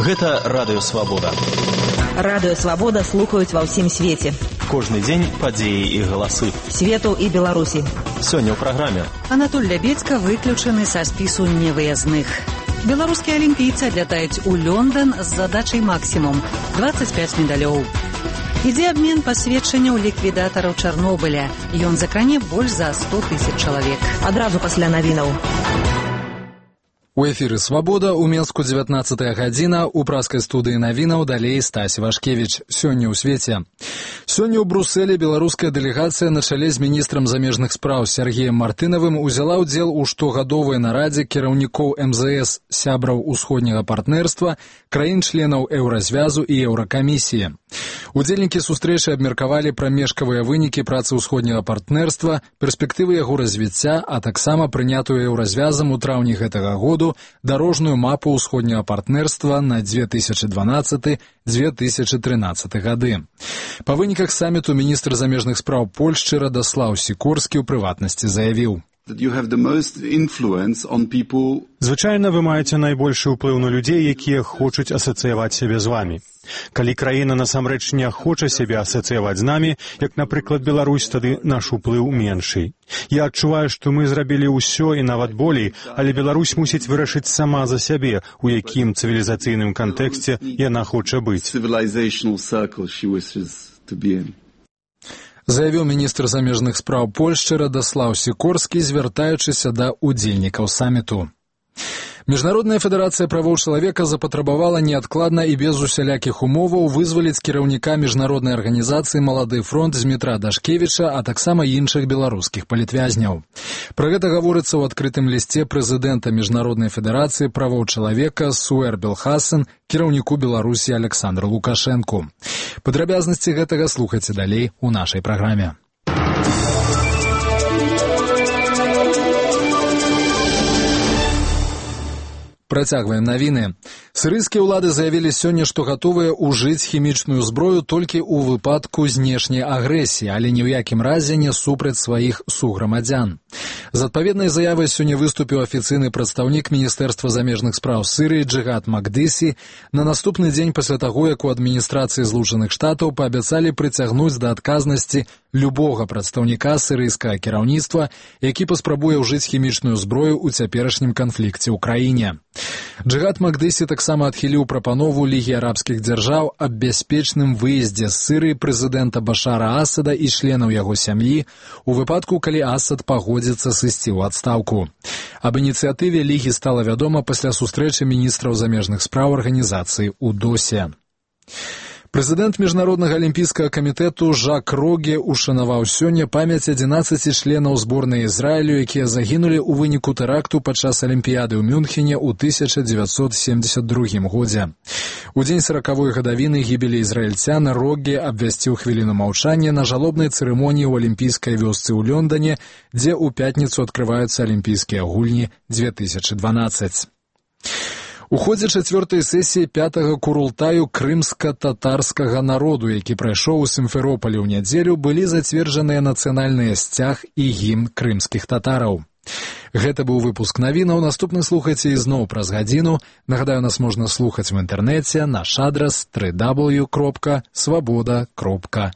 Гэта Радыё Свабода. Радыё Свабода слухаюць ва ўсім свеце. Кожны дзень падзеі і галасы. Свету і Беларусі. Сёння ў праграме. Анатоль Лябедзька выключаны са спісу невыязных. Беларускія алімпійцы адлятаюць у Лондон з задачай максімум 25 медалёў. Ідзе абмен пасведчанняў ліквідатараў Чарнобыля. Ён закране больш за 100 000 чалавек. Адразу пасля навінаў. У эфіры «Свабода» у Менску 19 гадзіна, у праскай студыі навінаў далей Стась Вашкевіч. Сёння ў свеце. Сёння ў Брусэлі беларуская дэлегацыя на чале з міністрам замежных спраў Сергеем Мартынавым узяла ўдзел у штогадовай нарадзе кіраўнікоў МЗС, сябраў усходняга партнерства, краін-членаў Еўразвязу і Еўракамісіі. Удзельнікі сустрэчы абмеркавалі прамежкавыя вынікі працы ўсходняга партнерства, перспектывы яго развіцця, а таксама прынятую Еўразвязам у траўні гэтага году дарожную мапу ўсходняга партнерства на 2012-2013 гады. Па выніках саміту міністр замежных спраў Польшчы Радослаў Сікорскі ў прыватнасці заявіў: Звычайна вы маеце найбольшы ўплыў на людзей, якія хочуць асацыяваць сябе з вамі. Калі краіна насамрэч не хоча сябе асацыяваць з намі, як, напрыклад, Беларусь, тады наш уплыў меншый. Я адчуваю, што мы зрабілі ўсё і нават болей, але Беларусь мусіць вырашыць сама за сябе, у якім цывілізацыйным кантэксце яна хоча быць. Заявіў міністр замежных спраў Польшчы Радослаў Сікорскі, звяртаючыся да удзельнікаў саміту. Міжнародная федэрацыя правоў чалавека запатрабавала неадкладна і без усялякіх умоваў вызваліць кіраўніка міжнароднай арганізацыі «Малады фронт» Змітра Дашкевіча, а таксама іншых беларускіх палітвязняў. Пра гэта гаворыцца ў адкрытым лісце прэзідэнта Міжнароднай федэрацыі правоў чалавека Суэр Белхасен кіраўніку Беларусі Александру Лукашэнку. Падрабязнасці гэтага слухайце далей у нашай праграме. Працягваем навіны. Сірыйскія ўлады заявілі сёння, што гатовыя ўжыць хімічную зброю толькі ў выпадку знешняй агрэсіі, але ні ў якім разе не супраць сваіх суграмадзян. З адпаведнай заявай сёння выступіў афіцыйны прадстаўнік Міністэрства замежных спраў Сірыі Джигат Макдыси на наступны дзень пасля таго, як у адміністрацыі Злучаных Штатаў паабяцалі прыцягнуць да адказнасці любога прадстаўніка сірыйскага кіраўніцтва, які паспрабуе ўжыць хімічную зброю ў цяперашнім канфлікце ў краіне. Джигат Макдыси таксама адхіліў прапанову Лігі арабскіх дзяржаў аб бяспечным выездзе з Сірыі прэзідэнта Башара Асада і членаў яго сям'і у выпадку, калі Асад пагодзіцца сысці ў адстаўку. Аб ініцыятыве Лігі стала вядома пасля сустрэчы міністраў замежных спраў арганізацыі ў Досе. Прэзідэнт Міжнароднага алімпійскага камітэту Жак Роге ушанаваў сёння памяць 11 членаў зборнай Ізраілю, якія загінулі ў выніку тэракту падчас Алімпіяды ў Мюнхене ў 1972 годзе. У дзень 40-й гадавіны гібелі ізраільцян Роге абвясціў хвіліну маўчання на жалобнай цырымоніі ў алімпійскай вёсцы ў Лондоне, дзе ў пятніцу адкрываюцца алімпійскія гульні 2012. У ходзе 4-й сесіі 5-го курултаю крымска-татарскага народу, які прайшоў у Сімферополі ў нядзелю, былі зацверджаныя нацыянальныя сцяг і гімн крымскіх татараў. Гэта быў выпуск навінаў. Наступны слухайце ізноў праз гадзіну. Нагадаю, нас можна слухаць в інтэрнэце, наш адрас www.swaboda.net.